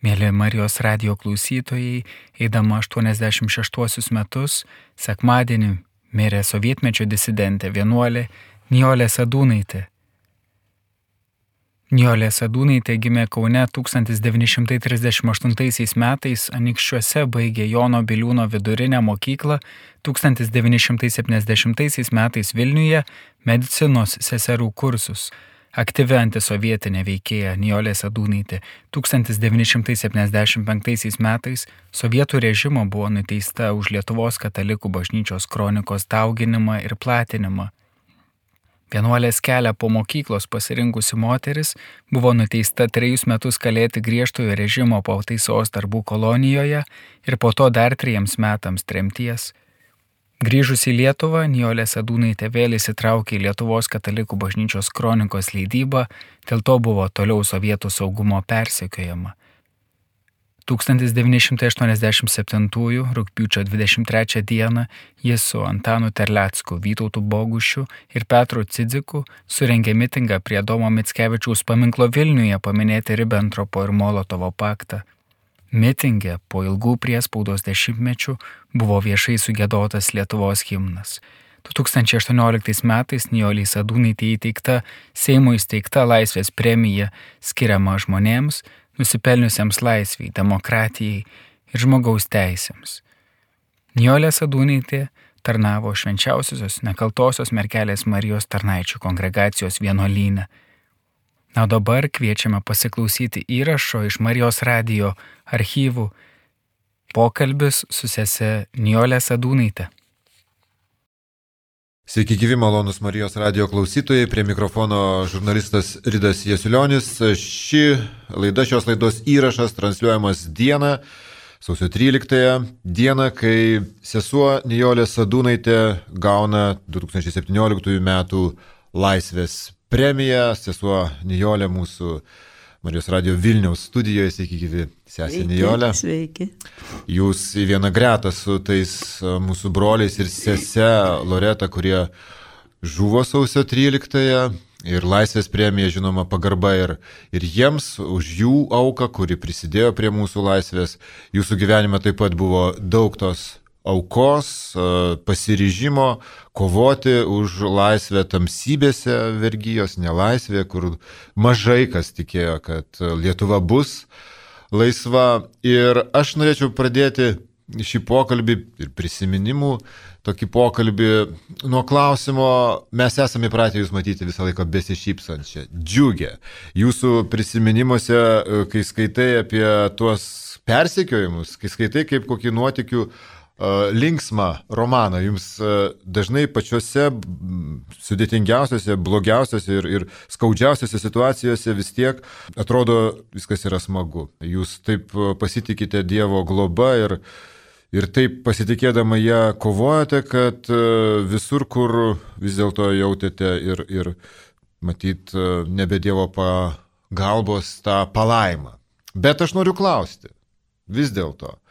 Mėly Marijos radijo klausytojai, eidama 86 metus, sekmadienį mirė sovietmečio disidentė vienuolė Nijolė Sadūnaitė. Nijolė Sadūnaitė gimė Kaune 1938 metais, Anykščiuose baigė Jono Biliūno vidurinę mokyklą, 1970 metais Vilniuje medicinos seserų kursus. Aktyvi antisovietinė veikėja Nijolė Sadūnaitė 1975 metais sovietų režimo buvo nuteista už Lietuvos katalikų bažnyčios kronikos dauginimą ir platinimą. Vienuolės kelią po mokyklos pasirinkusi moteris buvo nuteista 3 metus kalėti griežtojo režimo pataisos darbų kolonijoje ir po to dar 3 metams tremties. Grįžus į Lietuvą, Nijolė Sadūnaitė vėl įsitraukė į Lietuvos katalikų bažnyčios kronikos leidybą, dėl to buvo toliau sovietų saugumo persekiojama. 1987 rugpjūčio 23 dieną jis su Antanu Terlecku, Vytautu Bogušiu ir Petru Cidziku surengė mitingą prie Adomo Mickevičiaus paminklo Vilniuje paminėti Ribentropo ir Molotovo paktą. Mitinge po ilgų priespaudos dešimtmečių buvo viešai sugiedotas Lietuvos himnas. 2018 metais Nijolei Sadūnaitei įteikta Seimo įsteigta Laisvės premija skiriama žmonėms, nusipelniusiems laisvei, demokratijai ir žmogaus teisėms. Nijolė Sadūnaitė tarnavo Švenčiausiosios Nekaltosios Mergelės Marijos tarnaičių kongregacijos vienuolyne. Na, o dabar kviečiame pasiklausyti įrašo iš Marijos radijo archyvų pokalbis su sese Nijolė Sadūnaitė. Sveiki gyvi malonus Marijos radijo klausytojai, prie mikrofono žurnalistas Ridas Jasulionis. Šios laidos įrašas transliuojamas dieną, sausio 13 dieną, kai sesuo Nijolė Sadūnaitė gauna 2017 metų Laisvės premiją. Sesuo Nijolė mūsų Marijos radijo Vilniaus studijoje. Sveiki gyvi, sesė Nijolė. Sveiki. Jūs į vieną gretą su tais mūsų broliais ir sese Loreta, kurie žuvo sausio 13 ir Laisvės premija, žinoma, pagarba ir jiems už jų auką, kuri prisidėjo prie mūsų laisvės. Jūsų gyvenime taip pat buvo daug tos aukos, pasiryžimo kovoti už laisvę tamsybėse vergijos, nelaisvėje, kur mažai kas tikėjo, kad Lietuva bus laisva. Ir aš norėčiau pradėti šį pokalbį ir prisiminimų tokį pokalbį nuo klausimo. Mes esame įpratę jūs matyti visą laiką besišypsančią, džiugę. Jūsų prisiminimuose, kai skaitai apie tuos persekiojimus, kai skaitai kaip kokį nuotykių linksmą romaną, jums dažnai pačiose sudėtingiausiose, blogiausiose ir skaudžiausiose situacijose vis tiek atrodo viskas yra smagu. Jūs taip pasitikite Dievo globa ir taip pasitikėdama ją kovojate, kad visur, kur vis dėlto jautėte ir matyt nebe Dievo pagalbos tą palaimą. Bet aš noriu klausti, vis dėlto,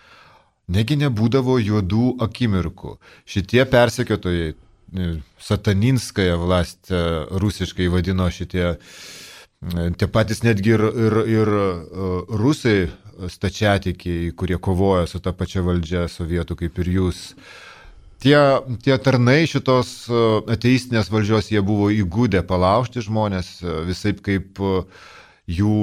negi nebūdavo juodų akimirkų. Šitie persekiotojai, sataninskąją vlast rusiškai vadino šitie, tie patys netgi ir rusai stačiatikiai, kurie kovoja su ta pačia valdžia sovietų kaip ir jūs. Tie tarnai šitos ateistinės valdžios, jie buvo įgūdę palaužti žmonės, visaip kaip jų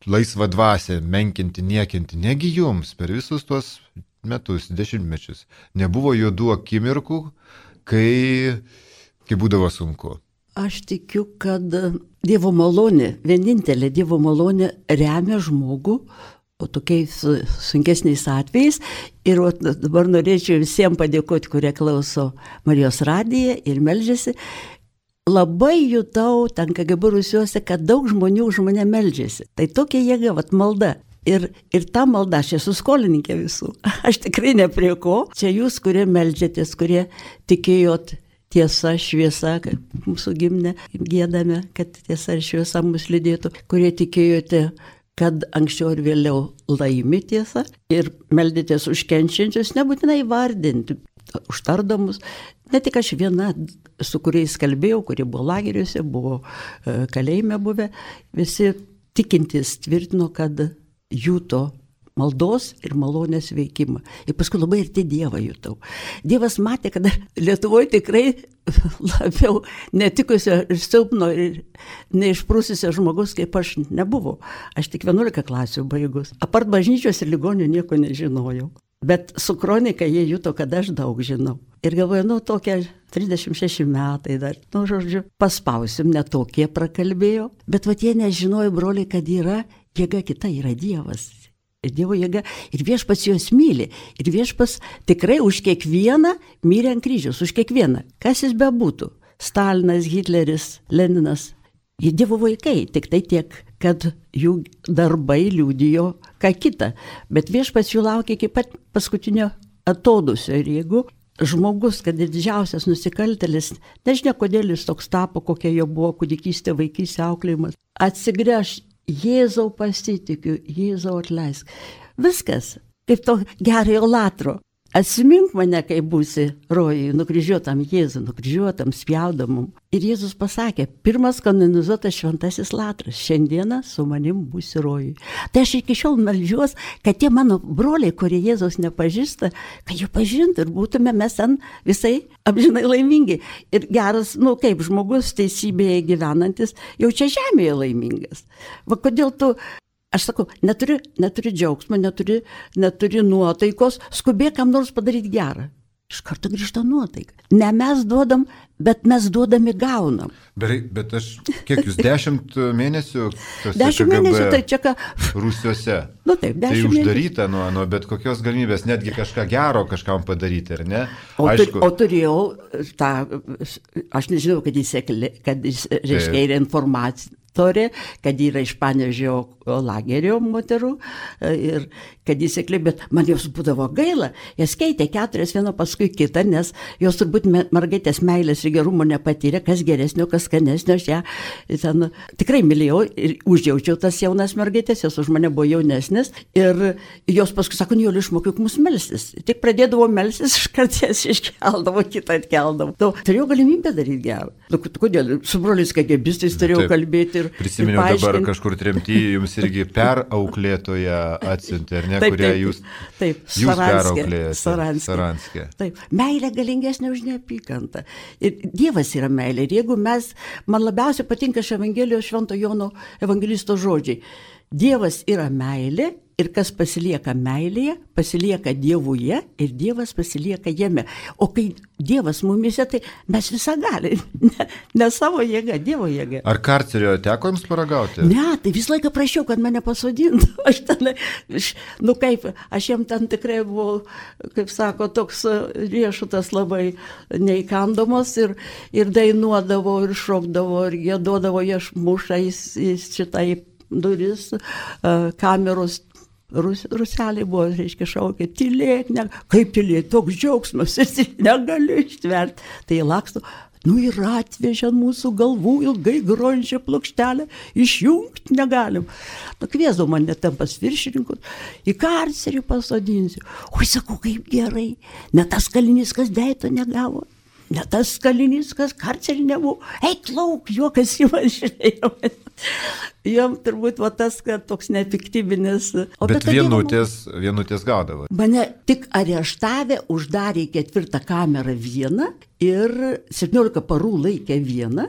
laisvą dvasią menkinti, niekinti. Negi jums per visus tuos metus, dešimtmečius nebuvo juodų akimirkų, kai būdavo sunku? Aš tikiu, kad Dievo malonė, vienintelė Dievo malonė remia žmogų tokiais sunkesniais atvejais. Ir dabar norėčiau visiems padėkoti, kurie klauso Marijos radiją ir meldžiasi. Labai jutau ten KGB Rusiuose, kad daug žmonių už mane meldžiasi. Tai tokia jėga, malda. Ir ta malda, aš esu skolininkė visų. Aš tikrai ne prie ko. Čia jūs, kurie meldžiatės, kurie tikėjot tiesa, šviesa, kaip mūsų gimne giedame, kad tiesa ir šviesa mus lydėtų, kurie tikėjote, kad anksčiau ir vėliau laimi tiesa ir meldėtės už kenčiančius, nebūtinai vardinti, užtardamus. Ne tik aš viena, su kuriais kalbėjau, kurie buvo lageriuose, buvo kalėjime buvę, visi tikintys tvirtino, kad juto maldos ir malonės veikimą. Ir paskui labai arti Dievą jutau. Dievas matė, kad Lietuvoje tikrai labiau netikusio ir silpno ir neišprūsisio žmogus, kaip aš, nebuvo. Aš tik 11 klasių baigus. Apart bažnyčios ir ligonių nieko nežinojau. Bet su kronika jie juto, kad aš daug žinau. Ir galvoju, tokie 36 metai dar, žodžiu, paspausim, netokie prakalbėjo. Bet jie nežinojo, broliai, kad yra jėga kita, yra Dievas. Ir Dievo jėga, ir viešpats juos myli. Ir viešpats tikrai už kiekvieną mirė ant kryžiaus, už kiekvieną. Kas jis bebūtų? Stalinas, Hitleris, Leninas. Jie Dievo vaikai, tik tai tiek, kad jų darbai liudijo ką kita. Bet viešpats jų laukia iki pat paskutinio atodusio. Ir jeigu žmogus, kad ir didžiausias nusikaltėlis, nežinia, kodėl jis toks tapo, kokia jo buvo kūdikystė, vaikystė, auklėjimas, atsigręš, Jėzau pasitikiu, Jėzau atleisk. Viskas, kaip to gerojo latro. Atsimink mane, kai būsi rojui, nukryžiuotam Jėzų, nukryžiuotam, spjaudamum. Ir Jėzus pasakė, pirmas kanonizuotas šventasis latras, šiandieną su manim būsi rojui. Tai aš iki šiol meldžiuos, kad tie mano broliai, kurie Jėzaus nepažįsta, kad jų pažintų ir būtume mes ten visai amžinai laimingi. Ir geras, kaip žmogus teisybėje gyvenantis, jau čia žemėje laimingas. Kodėl tu... Aš sakau, neturi džiaugsmo, neturi nuotaikos, skubėk kam nors padaryti gerą. Iš karto grįžta nuotaika. Ne mes duodam, bet mes duodami gaunam. Bet kiek jūs 10 mėnesių tose 10 mėnesių, tai čia ką... Rūsiuose. Taip, 10 tai mėnesių. Uždaryta nuo bet kokios galimybės, netgi kažką gero kažkam padaryti, ar ne? O turėjau tą, aš nežinau, kad jis reiškia ir informatorė, kad yra iš Panevėžio lagerio moterų ir kad jis sekli, bet man jos būdavo gaila. Jas keitė 4 viena paskui kitą, nes jos turbūt mergaitės meilės ir gerumo nepatyrė, kas geresnio, kas skanesnio. Aš ją ten tikrai mylėjau ir užjaučiau tas jaunas mergaitės, jos už mane buvo jaunesnės ir jos paskui sako, Nijolė, išmokyk mus melstis. Tik pradėdavo melstis, iškart jas iškeldavo, kitą atkeldavo. Turėjau galimybę daryti gerą. Kodėl? Su broliais KGBistais turėjau kalbėti ir prisiminiau dabar kažkur tremty, jums irgi perauklėtoje atsiuntė, ar ne, kurią jūs perauklėjate. Saranske. Taip, meilė galingesnė už neapykantą. Ir Dievas yra meilė. Ir jeigu man labiausiai patinka iš Evangelijos Švento Jono evangelisto žodžiai. Dievas yra meilė ir kas pasilieka meilėje, pasilieka Dievuje ir Dievas pasilieka jame. O kai Dievas mumise, tai mes visą gali. Ne savo jėga, Dievo jėga. Ar karcerio teko jums paragauti? Ne, tai visą laiką prašiau, kad mane pasodintų. Aš jam ten tikrai buvau, kaip sako, toks riešutas labai neįkandomas ir dainuodavo, ir šokdavo, ir gėdodavo, aš muša į šitai duris, kameros. Ruseliai buvo, reiškia, šaukė, tylėk, kaip tylėk, toks džiaugsmas, ir negaliu ištverti. Tai laksto, ir atvežė mūsų galvų ilgai grojančią plokštelę, išjungti negalim. Kviesdavo mane ten pas viršininkus, į karcerį pasodinsiu. Oi, sakau, kaip gerai, ne tas kalinys, kas deito negavo. Ne tas kalinys, kas karcerį nebuvo. Eik lauk, juokas į man žiūrėjo. Jom turbūt tas, kad toks nepiktybinis. Bet vienutės gaudavo. Mane tik areštavę, uždarė 4 kamerą vieną ir 17 parų laikė vieną.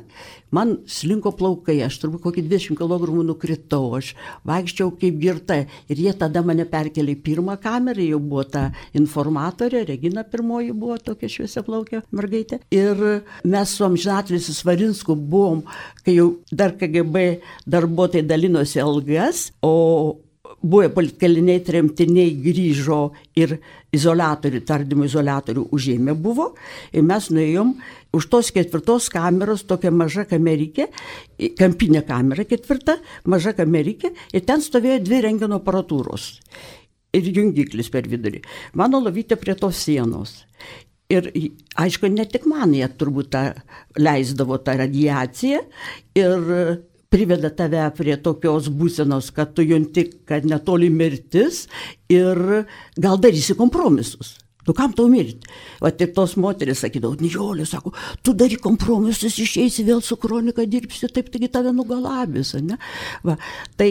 Man slinko plaukai, aš turbūt kokį 20 kg nukritau, aš vaikščiau kaip girta. Ir jie tada mane perkelė į 1 kamerą, jau buvo ta informatorė, Regina pirmoji buvo tokia šviesia plaukė mergaitė. Ir mes su amžinatilsiu Svarinsku buvom, kai jau dar KGB darbuotojai dalinosi algas, o buvę politkaliniai tremtiniai grįžo ir tardymo izoliatorių užėmė buvo. Ir mes nuėjom už tos 4 kameros tokia maža kamerikė, kampinė kamera 4, maža kamerikė, ir ten stovėjo 2 rentgeno aparatūros ir jungiklis per vidurį. Mano lovytė prie tos sienos. Ir aišku, ne tik man jie turbūt leisdavo tą radiaciją ir priveda tave prie tokios būsenos, kad tu junti, kad netoli mirtis ir gal darysi kompromisus. Tu kam tau mirti? Ir tos moteris sakydavo, Nijolė, sako, tu daryk kompromisus, išeisi vėl su kronika dirbsi, taip taigi tave nugalabys. Ne? Tai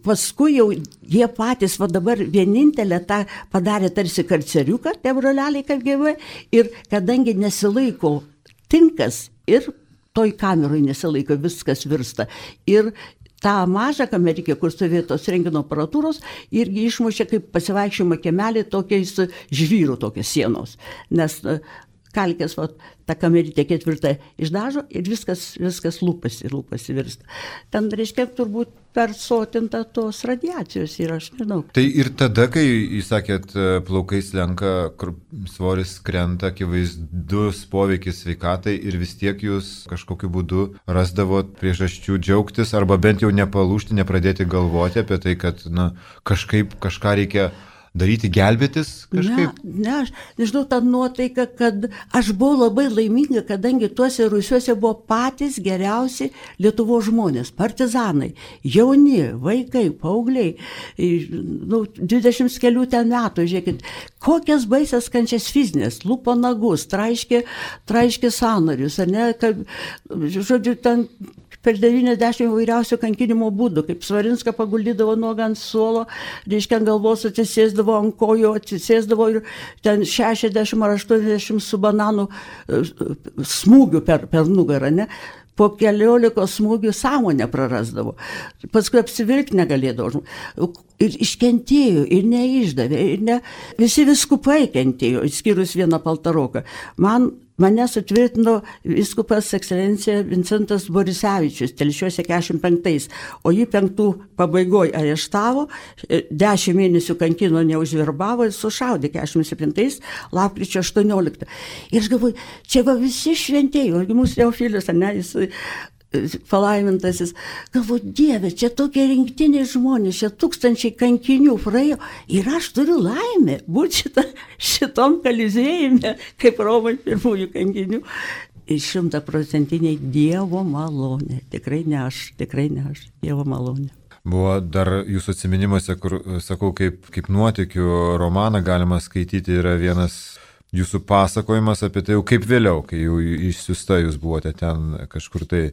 paskui jau jie patys, va dabar vienintelę tą padarė tarsi karceriuką, tie broleliai KGB, ir kadangi nesilaiko tinkas ir toj kameroj nesilaiko, viskas virsta. Ir tą mažą kamerikę, kur stovėjo tos rentgeno aparatūros, irgi išmušė kaip pasivaikščiojimo kiemelį tokiais žvyrų tokios sienos. Nes kalkės, va, tą kamerytę 4 išdažo ir viskas lūpasi virsta. Ten, reiškia, turbūt persotinta tos radiacijos ir aš nežinau. Tai ir tada, kai jūs sakėt, plaukai slenka, svoris krenta, akivaizdus poveikis sveikatai ir vis tiek jūs kažkokiu būdu rasdavot priežasčių džiaugtis arba bent jau nepalūžti, nepradėti galvoti apie tai, kad kažką reikia daryti, gelbėtis kažkaip? Ne, aš nežinau, tą nuotaiką, kad aš buvau labai laiminga, kadangi tuose rūsiuose buvo patys geriausi Lietuvos žmonės, partizanai, jauni, vaikai, paaugliai, 20 kelių ten metų, žiūrėkit, kokias baisias kančias fizinės, lupo nagus, traiškė sąnarius, ar ne, kad, žodžiu, ten per 90 įvairiausių kankinimo būdų, kaip Svarinską paguldydavo nuogą ant suolo, reiškia ant galvos atsisėsdavo, ant kojų atsisėsdavo ir ten 60 ar 80 su bananu smūgių per nugarą, ne? Po 14 smūgių sąmonę prarasdavo. Paskui apsivilkti negalėdavo. Ir iškentėjo, ir neišdavė, visi viskupai kentėjo, išskyrus vieną Paltaroką. Mane sutvirtino vyskupas ekscelencija Vincentas Borisevičius, Telšiuose 45, o jį 5 pabaigoje areštavo, 10 mėnesių kankino neužverbavo ir sušaudė 47 lapkričio 18. Ir aš galvoju, čia va visi šventėjai, mūsų Teofilius, ne, jis palaimintasis, galvoju, Dieve, čia tokie rinktiniai žmonės, čia tūkstančiai kankinių praėjo ir aš turiu laimę būti šitom kalizėjime, kaip Romai pirmųjų kankinių. Ir 100% Dievo malonė. Tikrai ne aš, Dievo malonė. Buvo dar jūsų atsiminimuose, kur, sakau, kaip nuotykių romaną galima skaityti, yra vienas jūsų pasakojimas apie tai jau kaip vėliau, kai jau išsiųsta jūs buvote ten kažkur tai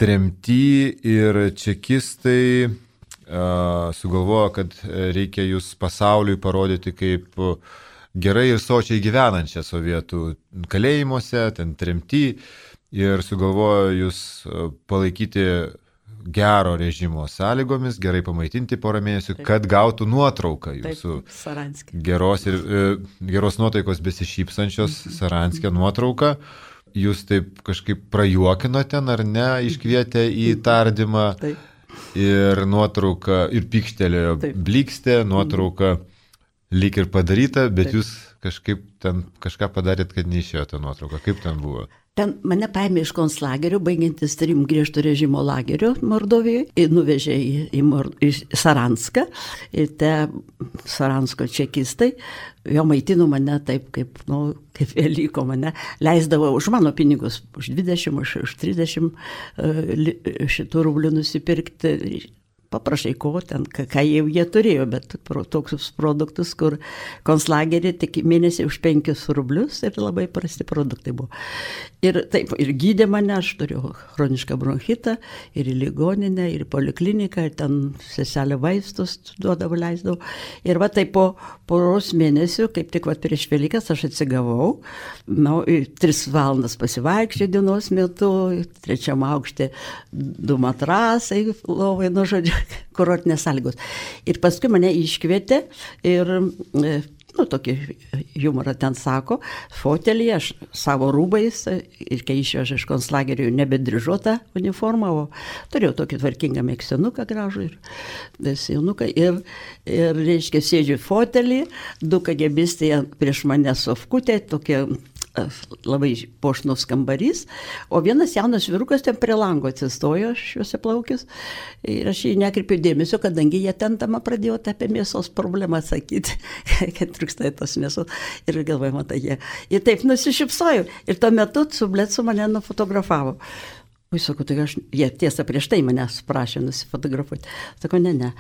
tremty ir čekistai sugalvojo, kad reikia jūs pasauliui parodyti kaip gerai ir sočiai gyvenančią sovietų kalėjimuose, ten tremty ir sugalvojo jūs palaikyti gero režimo sąlygomis, gerai pamaitinti porą mėnesių, kad gautų nuotrauką jūsų geros nuotaikos besišypsančios Saranske nuotrauką. Jūs taip kažkaip prajuokinote, ar ne, iškvietė į tardymą ir nuotrauka, ir pykštelėjo blikstė, nuotrauka lyg ir padaryta, bet jūs kažkaip ten kažką padarėt, kad neišėjo tą nuotrauką. Kaip ten buvo? Ten mane paėmė iš konclagerio, baigiantis 3 griežto režimo lagerio Mordovijoje, ir nuvežė į Saranską. Ir te Saransko čekistai, jo maitino mane taip, kaip Velyko mane, leisdavo už mano pinigus, už 20, už 30 šitų rublių nusipirkti. Paprašai ko ten, ką jau jie turėjo, bet tokius produktus, kur konclagerį tik mėnesį už 5 rublius ir labai prasti produktai buvo. Ir taip, ir gydė mane, aš turėjau chronišką bronchitą, ir į ligoninę, ir į polikliniką, ir ten seselė vaistus duodavo, leisdavo. Ir va taip po poros mėnesių, kaip tik va prieš Velykas, aš atsigavau, 3 valandas pasivaikščiau dienos metu, 3 aukšte 2 matrasai, lovai, nu žodžiu, kurortinės sąlygos. Ir paskui mane iškvietė ir, tokį humorą ten sako, fotelį, aš savo rūbais, ir kai išvežė iš konclagerio nebedryžuotą uniformą, o turėjau tokį tvarkingą mėgstinuką gražų ir sijonuką, ir reiškia, sėdžiu fotelį, 2 KGBistai prieš mane sofkutė, tokie labai puošnus kambarys, o vienas jaunas vyrukas ten prie lango atsistojo, šiuose plaukius, ir aš jį nekreipiu dėmesio, kadangi jie ten tamą pradėjo apie mėsos problemą sakyti, kad trūksta tos mėsos, ir galvoju, matai, jie. Ir taip nusišypsoju, ir tuo metu Sublecu mane nufotografavo. Sakau, tai jie tiesa prieš tai manęs prašė nusifotografuoti. Sakau, ne.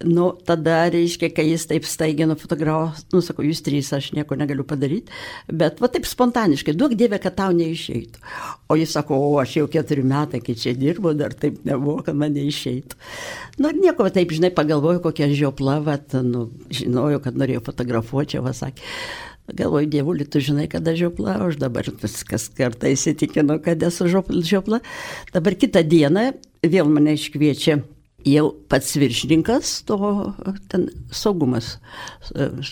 Nu, tada, reiškia, kai jis taip staigiai nufotografavo, nu, sakau, jūs trys, aš nieko negaliu padaryti, bet va taip spontaniškai, duok Dieve, kad tau neišeitų. O jis sako, o aš jau 4 metai, kai čia dirbu, dar taip nebuvo, kad man neišeitų. Nu, ir nieko, taip, žinai, pagalvoju, kokia žiopla, nu, žinojau, kad norėjau fotografuoti, čia, va, sakė. Galvoju, Dievuli, tu žinai, kada žiopla, aš dabar kas kartą įsitikinu, kad esu žiopla. Dabar kitą dieną vėl mane iškviečia jau pats viršininkas, to ten saugumas,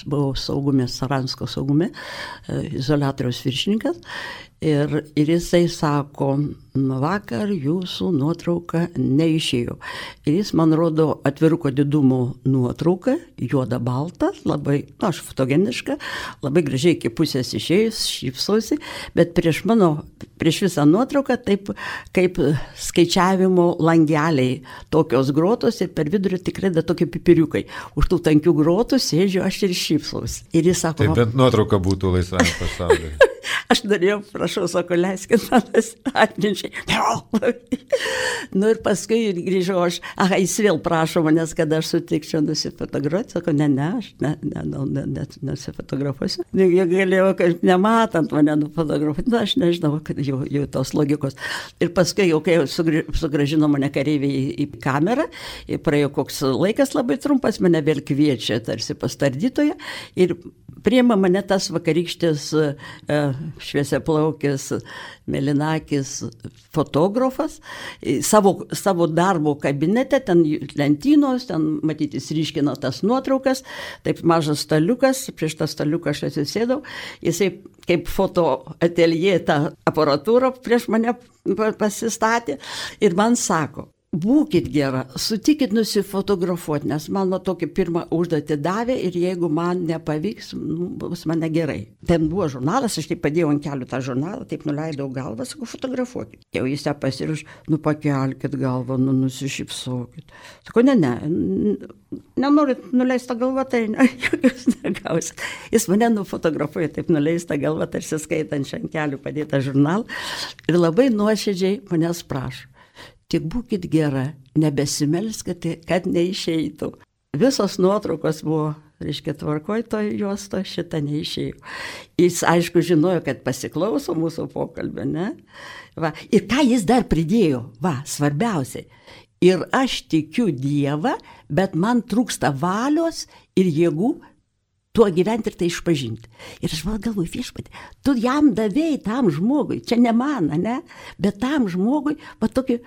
buvau saugume, Saransko saugume, izoliatoriaus viršininkas. Ir jisai sako, vakar jūsų nuotrauka neišėjo. Ir jis man rodo atviruko didumo nuotrauką, juoda balta, labai, aš fotogeniška, labai gražiai iki pusės išėjus, šypsosi, bet prieš visą nuotrauką taip kaip skaičiavimo langeliai, tokios grotos ir per vidurį tikrai da tokie pipiriukai. Už tų tankių grotų sėdžiu aš ir šypsosi. Ir jis sako, tai bent nuotrauka būtų laisvame pasaulyje. Aš norėjau, prašau, sako, leiskit man atminčiai. Nu ir paskui grįžau aš, jis vėl prašo manęs, kad aš sutikčiau nusifotografuoti. Sako, aš nusifotografuosiu. Jie galėjo, kad nematant mane nufotografuoti, aš nežinau, kad jau tos logikos. Ir paskui, jau kai sugrąžino mane kareiviai į kamerą, praėjo koks laikas labai trumpas, mane vėl kviečia tarsi pastardytoje ir priima mane tas vakarykštis šviesiaplaukis, mėlynakis fotografas, savo darbo kabinete, ten lentynos, ten matyti ryškino tas nuotraukas, taip mažas staliukas, prieš tą staliuką aš atsisėdau, jisai kaip foto ateljė tą aparatūrą prieš mane pasistatė ir man sako, būkit gera, sutikit nusifotografuoti, nes man tokį pirmą užduotį davė ir jeigu man nepavyks, bus mane gerai. Ten buvo žurnalas, aš taip padėjau ant kelių tą žurnalą, taip nuleidau galvą, sakau, fotografuokit. Jau jis ją pasiruoš, pakelkit galvą, nusišypsokit. Sakau, nenorit nuleistą galvą, tai jūs negausit. Jis mane nufotografuoja, taip nuleistą galvą, tarsi skaitančią ant kelių padėtą žurnalą ir labai nuoširdžiai manęs prašo. Tik būkit gera, nebesimelskite, kad neišeitų. Visos nuotraukos buvo, reiškia, tvarkoj, to juosto šitą neišėjo. Jis, aišku, žinojo, kad pasiklauso mūsų pokalbio, ne? Va. Ir ką jis dar pridėjo? Va, svarbiausiai. Ir aš tikiu Dievą, bet man trūksta valios ir jėgų tuo gyventi ir tai išpažinti. Ir aš galvoju, viešpatį, tu jam davėjai tam žmogui, čia ne man, ne? Bet tam žmogui, va tokį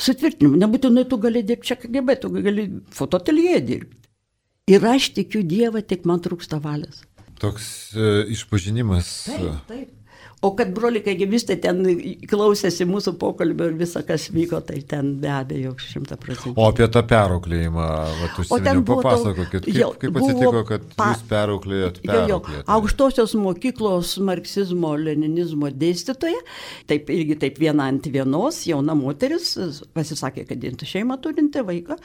sutvirtinimu, nebūtinai tu gali dirbti čia KGB, tu gali fotoateljė dirbti. Ir aš tikiu Dievą, tik man trūksta valios. Toks išpažinimas. Taip. O kad broliai KGBistai ten klausėsi mūsų pokalbio ir visą, kas vyko, tai ten be abejo 100%. O apie tą perauklėjimą, papasakokit, kaip atsitiko, kad jūs perauklėjot. Aukštosios mokyklos marksizmo-leninizmo dėstytoja, taip irgi taip viena ant vienos, jauna moteris, pasisakė, kad šeimą turinti vaiką.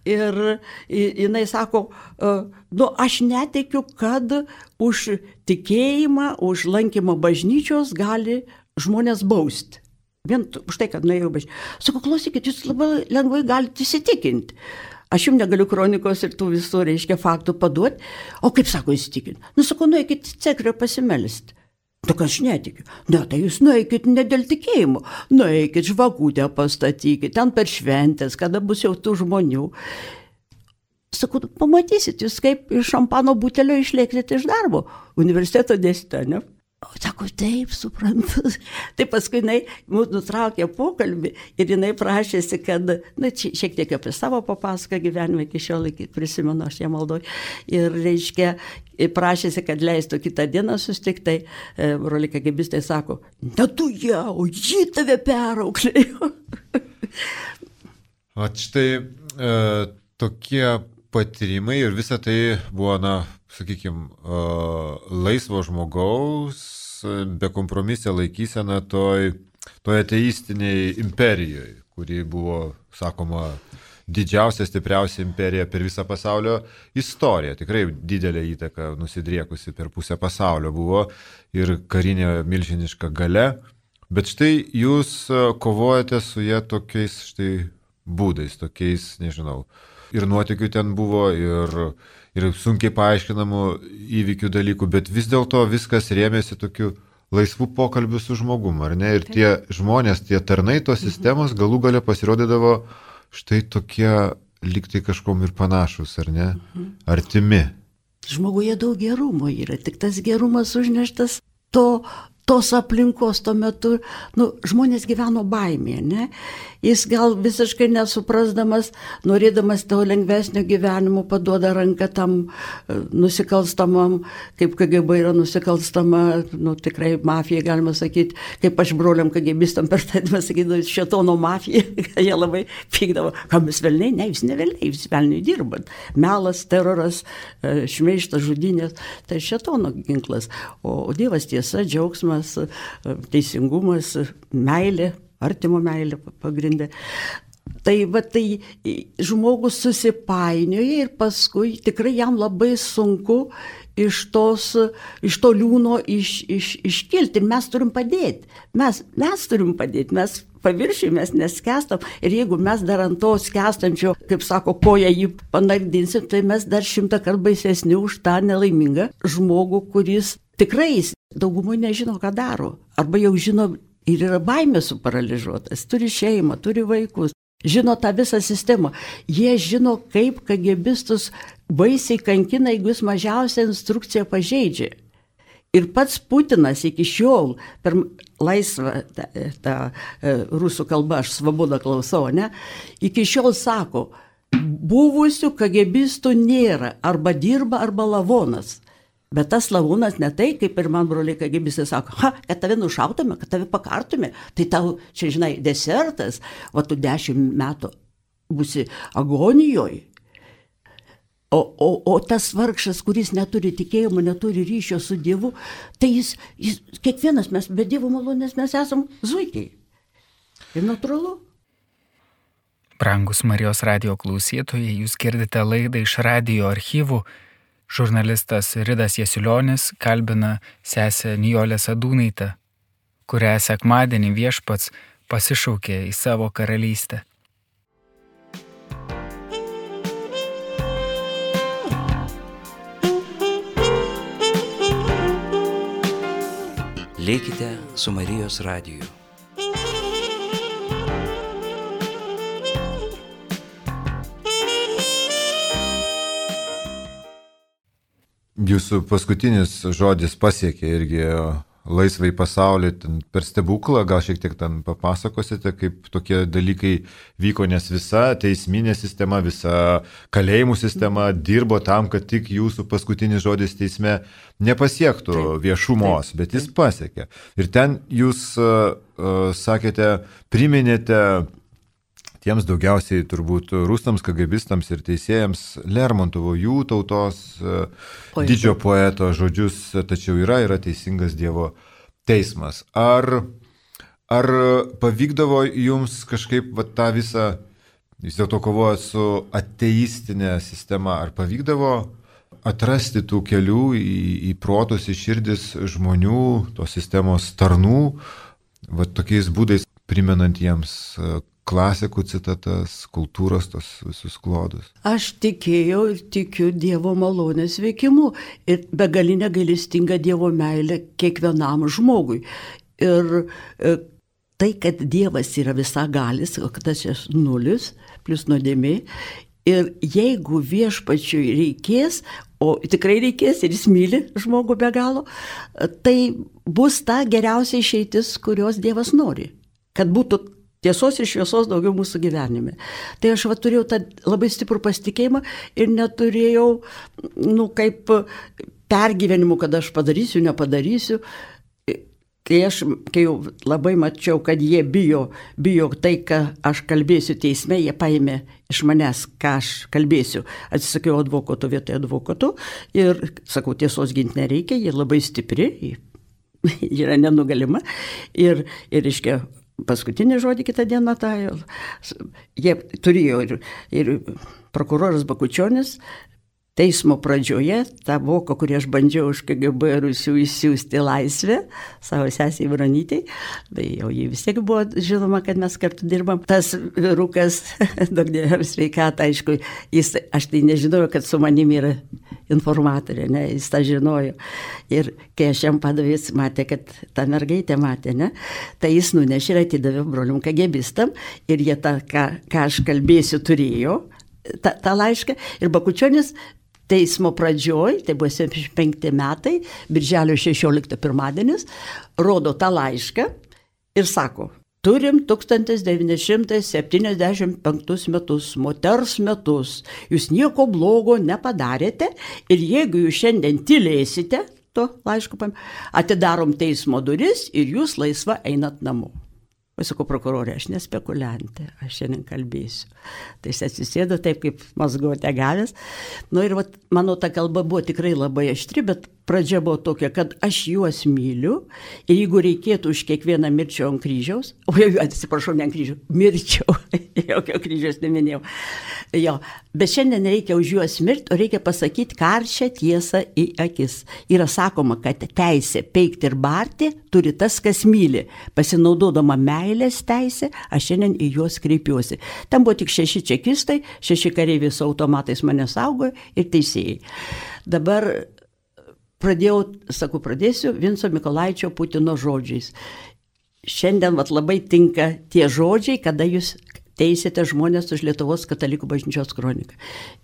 Ir jinai sako, aš netikiu, kad už tikėjimą, už lankymą bažnyčios gali žmonės bausti. Vien už tai, kad nuėjau bažnyčią. Sakau, klausykit, jūs labai lengvai galite įsitikinti. Aš jums negaliu kronikos ir tų visų, reiškia, faktų paduoti. O kaip sako įsitikinti? Sakau, nueikit cekrio pasimelisti. Tik aš netikiu. Ne, tai jūs nueikit ne dėl tikėjimo. Nueikit žvakutę pastatykit, ten per šventės, kada bus jau tų žmonių. Sakau, pamatysit, jūs kaip iš šampano butelio išlėksit iš darbo. Universiteto dėstytoja, ne? Sako, taip, suprantu. Tai paskui jinai mūsų nutraukė pokalbį ir jinai prašėsi, kad, šiek tiek apie savo papasaką gyvenimą iki šiol prisimenu, aš ją maldoju. Ir, reiškia, prašėsi, kad leistų kitą dieną susitikti, tai broliai KGBistai sako, ne tu ją, o ji tave perauklėjo. O štai tokie patyrimai ir visa tai buvo, sakykime, laisvo žmogaus, bekompromisė laikysena toj ateistiniai imperijoje, kuri buvo, sakoma, didžiausia, stipriausia imperija per visą pasaulio istoriją. Tikrai didelė įtaka nusidriekusi per pusę pasaulio buvo ir karinė milžiniška galia. Bet štai jūs kovojate su jie tokiais štai būdais, tokiais, nežinau, ir nuotykių ten buvo, ir sunkiai paaiškinamų įvykių dalykų, bet vis dėlto viskas rėmėsi tokiu laisvų pokalbių su žmogum, ar ne? Ir tie žmonės, tie tarnai tos sistemos galų gale pasirodydavo štai tokie lygtai kažkom ir panašus, ar ne? Artimi. Žmoguje daug gerumo yra, tik tas gerumas užneštas tos aplinkos tuo metu, žmonės gyveno baimėje, ne? Jis gal visiškai nesuprasdamas, norėdamas to lengvesnio gyvenimo, paduoda ranką tam nusikalstamam, kaip KGB yra nusikalstama, tikrai mafija, galima sakyti, kaip aš broliam KGBistam per tą sakydavau, šėtono mafija, jie labai pykdavo, kam jūs velniai, ne, jūs ne velniai, jūs velniai dirbat. Melas, teroras, šmeižtas, žudynės, tai šėtono ginklas, o Dievas tiesa, džiaugsmas, teisingumas, meilė, artimo meilė pagrindė. Tai žmogus susipainioja ir paskui tikrai jam labai sunku iš to liūno iškilti. Ir mes turim padėti. Mes turim padėti. Mes paviršiui, mes neskęstam. Ir jeigu mes dar ant to skęstančio, kaip sako, koją jį panardinsim, tai mes dar 100 kartų baisesni už tą nelaimingą žmogų, kuris tikrai daugumai nežino, ką daro. Arba jau žino ir yra baimė suparalyžuotas. Turi šeimą, turi vaikus. Žino tą visą sistemą. Jie žino, kaip KGBistus baisiai kankina, jeigu jis mažiausią instrukciją pažeidžia. Ir pats Putinas iki šiol per laisvą tą rusų kalbą, aš Svabodą klausau, ne? Iki šiol sako, buvusių KGBistų nėra, arba dirba, arba lavonas. Bet tas lavūnas ne tai, kaip ir man broliai KGBistai sako, kad tave nušautume, kad tave pakartume, tai tau, čia žinai, desertas, tu 10 metų būsi agonijoje. O tas vargšas, kuris neturi tikėjimo, neturi ryšio su Dievu, tai jis kiekvienas mes, be Dievo malonės mes esam zuikiai. Ir natūralu. Brangus Marijos radijo klausytojai, jūs girdite laidą iš radijo archyvų. Žurnalistas Ridas Jasiulionis kalbina sesę Nijolę Sadūnaitę, kurią sekmadienį Viešpats pasišaukė į savo karalystę. Likite su Marijos radiju. Jūsų paskutinis žodis pasiekė irgi laisvai pasaulį per stebuklą, gal šiek tiek ten papasakosite, kaip tokie dalykai vyko, nes visa teisminė sistema, visa kalėjimų sistema dirbo tam, kad tik jūsų paskutinis žodis teisme nepasiektų viešumos, bet jis pasiekė. Ir ten jūs, sakėte, priminėte tiems daugiausiai turbūt rusams, KGBistams ir teisėjams Lermontovo, jų tautos didžio poeto žodžius, tačiau yra teisingas Dievo teismas. Ar pavykdavo jums kažkaip tą visą, vis dėlto kovojant su ateistinė sistema, ar pavykdavo atrasti tų kelių į protus, į širdis žmonių, tos sistemos tarnų, tokiais būdais primenant jiems klasikų citatas, kultūros, tos visus klodus? Aš tikėjau ir tikiu Dievo malonės veikimu ir begalinę gailestingą Dievo meilę kiekvienam žmogui. Ir tai, kad Dievas yra visagalis, o kad tas yra nulis, plus nuodėmė, ir jeigu Viešpačiui reikės, o tikrai reikės ir jis myli žmogų be galo, tai bus ta geriausia išeitis, kurios Dievas nori. Kad būtų tiesos ir šviesos daugiau mūsų gyvenime. Tai aš turėjau tą labai stiprų pasitikėjimą ir neturėjau, kaip pergyvenimų, kad aš padarysiu, nepadarysiu. Kai jau labai mačiau, kad jie bijo tai, ką aš kalbėsiu teisme, jie paėmė iš manęs, ką aš kalbėsiu. Atsisakiau advokato vietoje advokato ir sakau, tiesos ginti nereikia, jie labai stipri, yra nenugalima. Ir reiškia, paskutinį žodį kitą dieną jie turėjo ir prokuroras Bakučionis, teismo pradžioje tą voką, kurį aš bandžiau iš KGB Rusių įsiųsti laisvę savo sesiai Bronytei, tai jau jį vis tiek buvo žinoma, kad mes kartu dirbam. Tas vyrukas, daug dievo sveikatą, aišku, aš tai nežinojau, kad su manimi yra informatorė, ne, jis tą žinojo. Ir kai aš jam padavė, jis matė, kad ta mergaitė matė, ne, tai jis nunešė ir atidavė brolium KGBistam ir jie tą, ką aš kalbėsiu, turėjo tą laišką. Ir Bakučionis teismo pradžioj, tai buvo 75 metai, birželio 16 pirmadienis, rodo tą laišką ir sako, turim 1975 metus, moters metus, jūs nieko blogo nepadarėte ir jeigu jūs šiandien tylėsite, to laiško atidarom teismo duris ir jūs laisva einat namo. Pasakau, prokurorė, aš nespekuliantė, aš šiandien kalbėsiu. Tai jis atsisėdo taip, kaip mazgote gavęs. Ir mano ta kalba buvo tikrai labai aštri, bet pradžia buvo tokia, kad aš juos myliu ir jeigu reikėtų už kiekvieną mirčiau ant kryžiaus, atsiprašau, ne ant kryžiaus, mirčiau, jokio kryžiaus neminėjau. Jo, bet šiandien reikia už juos mirti, o reikia pasakyti karčią tiesą į akis. Yra sakoma, kad teisė peikti ir barti turi tas, kas myli. Pasinaudodama meilės teisė, aš šiandien į juos kreipiuosi. Ten buvo tik 6 čekistai, 6 kareiviai su automatais mane saugojo ir teisėjai. Dabar pradėsiu Vinco Mykolaičio Putino žodžiais. Šiandien labai tinka tie žodžiai, kada jūs teisėte žmonės už Lietuvos katalikų bažnyčios kroniką.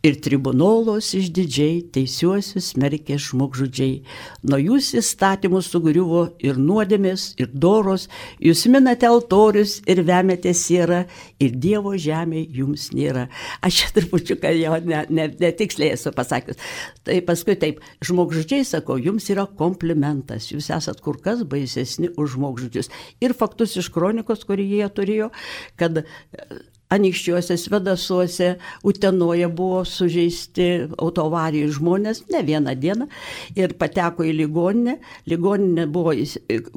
Ir tribunolos išdidžiai teisiuosius smerkė žmogžudžiai. Nuo jūs įstatymus sugriuvo ir nuodėmės, ir doros, jūs minate altorius ir vemėte sierą, ir Dievo žemė jums nėra. Aš čia trupučiuką jo netiksliai esu pasakius. Tai paskui taip, žmogžudžiai, sakau, jums yra komplimentas, jūs esat kur kas baisesni už žmogžudžius. Ir faktus iš kronikos, kurį jie turėjo, kad Anykščiuose, Svedasuose, Utenoje buvo sužeisti autoavarijų žmonės, ne vieną dieną, ir pateko į ligoninę. Ligoninė buvo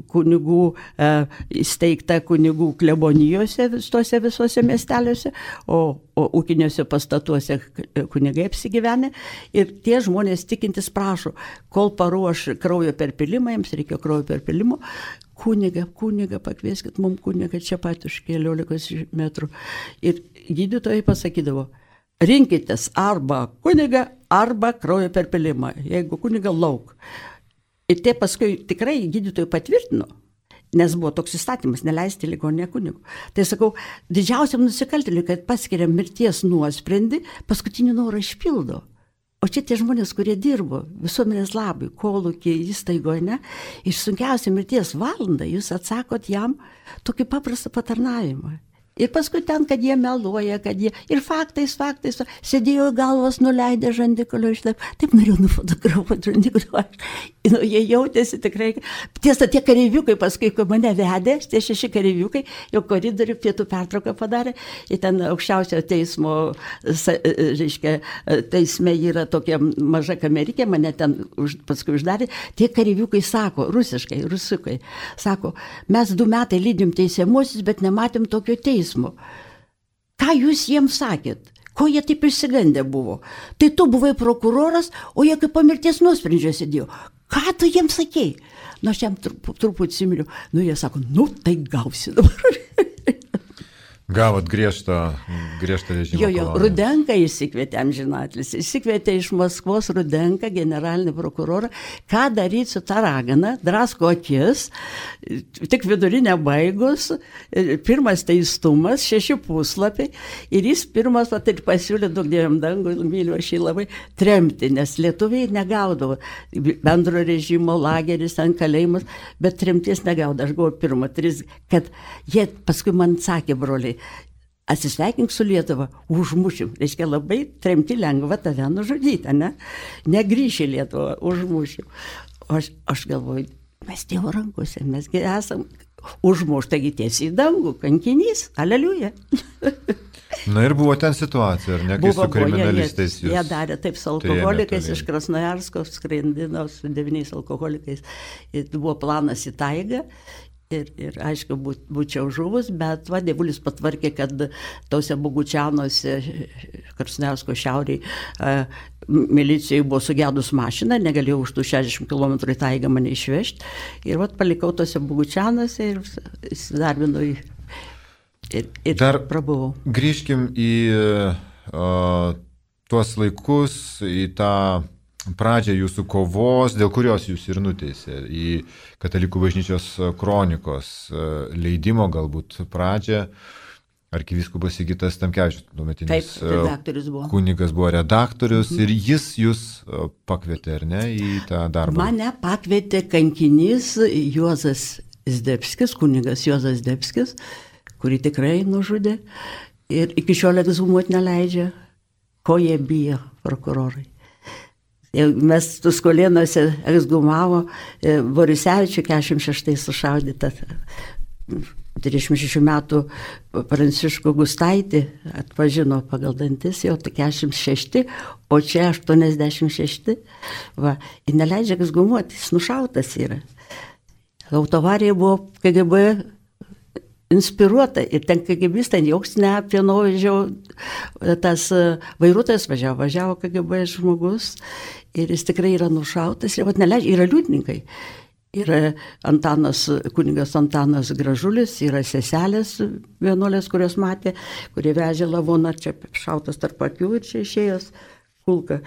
kunigų, įsteigta kunigų klebonijose, tuose visuose miesteliuose, o ūkiniuose pastatuose kunigai apsigyvenę. Ir tie žmonės tikintis prašo, kol paruoš kraujo perpilimą, jiems reikėjo kraujo perpilimo, kunigą, pakvieskit mums kunigą čia pat už keliolikos metrų. Ir gydytojai pasakydavo, rinkitės arba kunigą, arba kraujo perpilimą, jeigu kunigą lauk. Ir tie paskui tikrai gydytojai patvirtino, nes buvo toks įstatymas, neleisti ligoninę kunigų. Tai sakau, didžiausiam nusikaltėliui, kad paskiria mirties nuosprendį, paskutinį norą išpildo. O čia tie žmonės, kurie dirbo visuomenės labui, kolūkį, įstaigoje, ne, iš sunkiausią mirties valandą jūs atsakot jam tokį paprastą patarnavimą. Ir paskui ten, kad jie meluoja, kad jie ir faktais, sėdėjo galvos nuleidę žandikulio išlaip, taip norėjau nufotografuoti žandikulio. Jie jautėsi tikrai, tiesa, tie kareiviukai paskui, kai mane vedė, tie 6 kareiviukai, jau koridorių pietų pertrauką padarė, ir ten aukščiausio teismo, reiškia, teisme yra tokia maža kamerikė, mane ten paskui uždarė, tie kareiviukai sako, rusiškai, sako, mes 2 metai lydim teisiamuosius, bet nematėm tokio teismo. Ką jūs jiems sakėt? Ko jie taip išsigandę buvo? Tai tu buvai prokuroras, o jie kaip po mirties nuosprendžio sėdėjo. Ką tu jiems sakei? Aš jam truputį similiu. Jie sako, tai gausi dabar. Gavot griežtą režimą. Jo, Rudenką įsikvietė amžinatlis. Įsikvietė iš Maskvos Rudenką, generalinį prokurorą, ką daryti su ta ragana, drasko akis, tik vidurinę baigus, pirmas teistumas, 6 puslapiai, ir jis pirmas pasiūlė, daug dievam dangų, myliu aš jį labai, tremti, nes lietuviai negaudavo bendro režimo, lageris, ant kalėjimas, bet tremties negaudavo. Aš buvau pirma, 3, kad jie paskui man sakė, broliai, atsisveikink su Lietuva, užmušim. Reiškia, labai tremti lengva tave nužudyti, ne? Negrįši Lietuvą, užmušim. Aš galvoju, mes Dievo rankose, mesgi esam užmušti, taigi tiesiai į dangų, kankinys, aleliuja. Na ir buvo ten situacija, ar ne, kai su kriminalistais jūs? Jie darė taip su alkoholikais, iš Krasnojarsko skrendino su 9 alkoholikais. Ir buvo planas į taigą. Ir aišku, būčiau žuvus, bet dievulis patvarkė, kad tose Bogučianuose, Krasnojarsko šiauriai, milicijai buvo sugedus mašina, negalėjau už tų 60 km į taigą mane išvežti. Ir palikau tose Bogučianuose ir įsidarbinau ir dar prabuvau. Grįžkim į tuos laikus, į tą pradžią jūsų kovos, dėl kurios jūs ir nuteisė, į Katalikų bažnyčios kronikos leidimo galbūt pradžią. Arkivyskupas Sigitas Tamkevičius, tuometinis kunigas, buvo redaktorius ir jis jūs pakvietė, ar ne, į tą darbą? Mane pakvietė kankinys Juozas Zdebskis, kunigas Juozas Zdebskis, kurį tikrai nužudė ir iki šiol ekshumuoti neleidžia, ko jie bijo prokurorai. Mes Tuskulėnuose ekshumavo Borisevičių 46 sušaudytą 36 metų Pranciškų Gustaitį, atpažino pagal dantis, jau 46, o čia 86. Ir neleidžia ekshumuoti, jis nušautas yra. Autovarija buvo KGB inspiruota ir ten KGBistai joks neapvienovižiau, tas vairuotojas važiavo KGB žmogus ir jis tikrai yra nušautas ir neleidžia, yra liudininkai. Yra kunigas Antanas Gražulis, yra seselės vienuolės, kurios matė, kurie vežė lavoną, čia šautas tarp akių ir čia išėjęs kulka.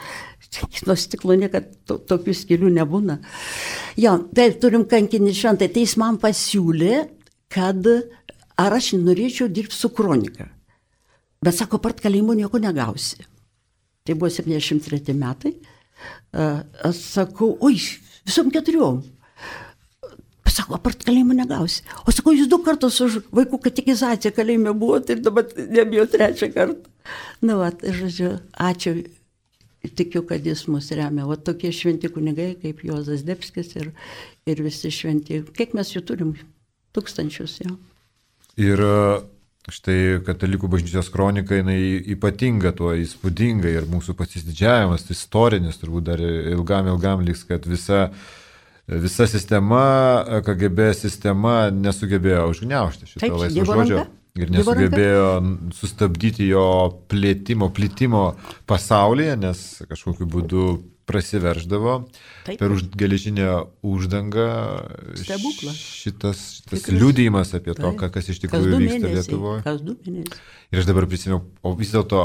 Nuo stiklo niekad tokių skylių nebūna. Jo, taip, turim kankinį šventą, tai jis man pasiūlė, kad ar aš norėčiau dirbti su kronika. Bet sako, apart kalėjimo nieko negausi. Tai buvo 73 metai. Aš sakau, visom 4. Sako, apart kalėjimo negausi. O sakau, jūs 2 kartus už vaikų katekizaciją kalėjime buvote ir dabar nebijau 3 kartą. Žodžiu, ačiū. Tikiu, kad jis mus remia. Tokie šventi kunigai kaip Juozas Zdebskis ir visi šventi. Kiek mes jų turim? Tūkstančius, jau. Ir štai Katalikų bažnyčios kronika, jinai ypatinga tuo, įspūdinga ir mūsų pasididžiavimas, istorinis, turbūt dar ilgam liks, kad visa sistema, KGB sistema nesugebėjo užgniaužti šito laisvo žodžio ir nesugebėjo sustabdyti jo plitimo pasaulyje, nes kažkokiu būdu prasiverždavo per geležinę uždangą. Šitas liudijimas apie to, kas iš tikrųjų vyksta Lietuvoje. Kas 2 mėnesiai. Ir aš dabar prisimenu, o vis dėlto,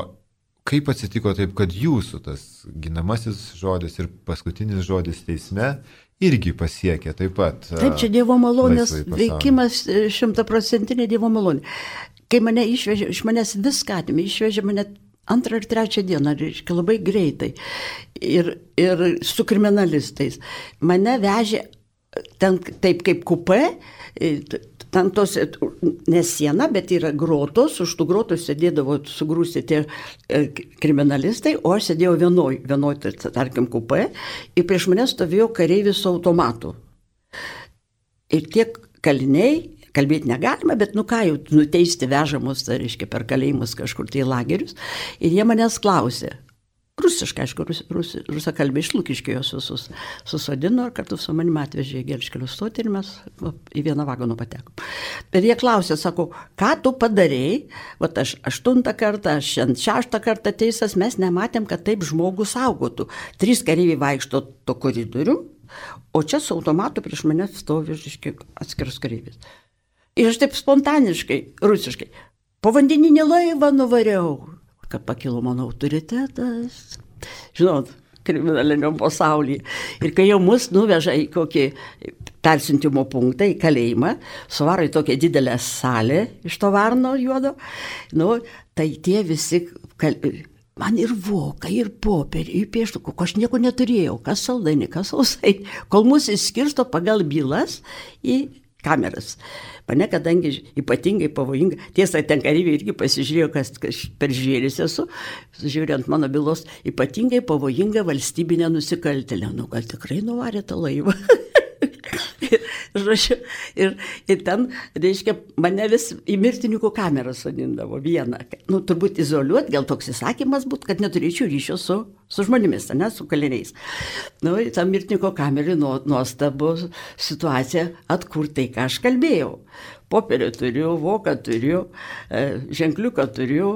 kaip atsitiko taip, kad jūsų tas ginamasis žodis ir paskutinis žodis teisme irgi pasiekė taip pat. Taip, čia Dievo malonės veikimas, 100% Dievo malonė. Kai mane išvežė, iš manęs viską atėmė, išvežė mane 2 ir 3 dieną, reiškia, labai greitai. Ir su kriminalistais. Mane vežė ten taip kaip kupė, ten tos, ne siena, bet yra grotos, už tų grotų sėdėdavo sugrūsti tie kriminalistai, o aš sėdėjau vienoj, tarkim, kupė, ir prieš mane stovėjo kareivis su automatu. Ir tiek kaliniai, kalbėti negalima, bet jau nuteisti vežamus, tai reiškia, per kalėjimus kažkur tai lagerius, ir jie manęs klausė. Rusiškai, aišku, rusakalbė iš Lukiškių jos visus susodino ir kartu su manimi atvežė į Gelžkelio stotį ir mes į vieną vagoną patekom. Bet jie klausė, sako, ką tu padarėjai, aš 8 kartą, aš 6 kartą teisas, mes nematėm, kad taip žmogus saugotų. 3 kareiviai vaikšto to koridorių, o čia su automatu prieš mane stovi atskiras kareivis. Ir aš taip spontaniškai, rusiškai, povandeninį laivą nuvariau, kad pakilo mano autoritetas, žinot, kriminaliniam pasaulyje. Ir kai jau mus nuveža į kokį persiuntimo punktą, į kalėjimą, suvaro į tokią didelę salę iš to varno juodo, tai tie visi, man ir vokai, ir popierį, ir pieštukų, aš nieko neturėjau, kas saldainį, kas sausainį, kol mus įskirsto pagal bylas į kameras. Mane, kadangi ypatingai pavojinga, tiesa, ten kareiviai irgi pasižiūrėjo, kas per žvėris esu, žiūrint mano bylos, ypatingai pavojinga valstybinė nusikaltėlė. Gal tikrai nuvarė tą laivą. ir ten, reiškia, mane vis į mirtininkų kamerą sodindavo vieną. Turbūt izoliuoti, gal toks įsakymas būtų, kad neturėčiau ryšio su su žmonėmis, ne, su kaliniais. Nu, ta mirtininko kamerį nuostabu situacija atkurtai, ką aš kalbėjau. Popierį turiu, voką turiu, ženkliuką turiu,